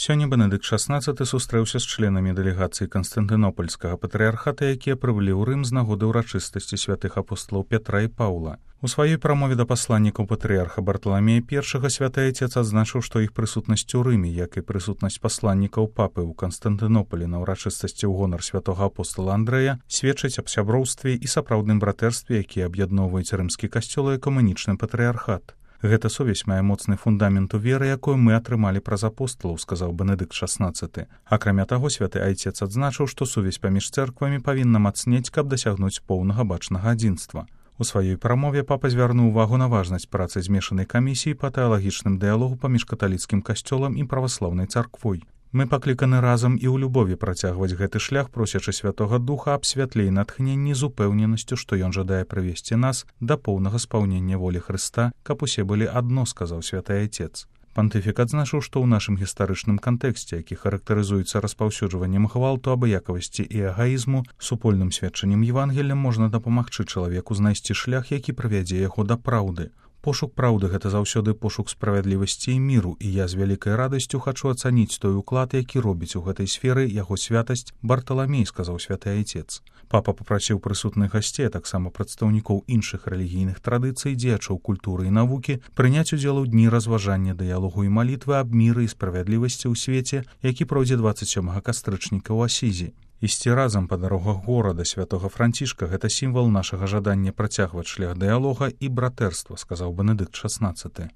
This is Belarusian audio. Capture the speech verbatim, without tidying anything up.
Сёння Бенедыкт шаснаццаты сустрэўся з членамі дэлегацыі Канстантынопольскага патрыархата, якія прыбылі ў Рым з нагоды ўрачыстасці святых апосталаў Пятра і Паўла. У сваёй прамове да пасланнікаў патрыарха Барталамея першага святы айцец адзначыў, што іх прысутнасць у Рыме, як і прысутнасць пасланнікаў папы ў Канстантынополі на ўрачыстасці ў гонар святога апостала Андрэя, сведчыць аб сяброўстве і сапраўдным братэрстве, якія аб'ядноўваюць рымскі касцёл і экумэнічны патрыархат. Гэта сувязь мае моцны фундамент у веры, якую мы атрымалі праз апосталаў, сказаў Бенедыкт шаснаццаты. Акрамя таго, святы айцец адзначыў, што сувязь паміж цэрквамі павінна мацнець, каб дасягнуць поўнага бачнага адзінства. У сваёй прамове папа звярнуў увагу на важнасць працы змешанай камісіі па тэалагічным дыялогу паміж каталіцкім касцёлам і праваслаўнай царквой. Мы пакліканы разам і ў любові працягваць гэты шлях, просячы святога духа аб святле і натхненні з упэўненасцю, што ён жадае прывесці нас да поўнага спаўнення волі Хрыста, каб усе былі адно, сказаў святы айцец. Пантыфік адзначыў, што ў нашым гістарычным кантэксце, які характарызуецца распаўсюджваннем гвалту, абыякавасці і эгаізму, супольным сведчаннем Евангелля можна дапамагчы чалавеку знайсці шлях, які прывядзе яго да праўды. Пошук праўды — гэта заўсёды пошук справядлівасці і міру, і я з вялікай радасцю хачу ацаніць той уклад, які робіць у гэтай сферы яго святасць Барталамей, сказаў святы айцец. Папа папрасіў прысутных гасцей, таксама прадстаўнікоў іншых рэлігійных традыцый, дзеячоў культуры і навукі, прыняць удзел у дні разважання, дыялогу і малітвы аб міры і справядлівасці ў свеце, які пройдзе дваццаць сёмага кастрычніка ў Асізі. Ісці разам па дарогах горада святога Францішка — гэта сімвал нашага жадання працягваць шлях дыялога і братэрства, сказаў Бенедыкт шаснаццаты.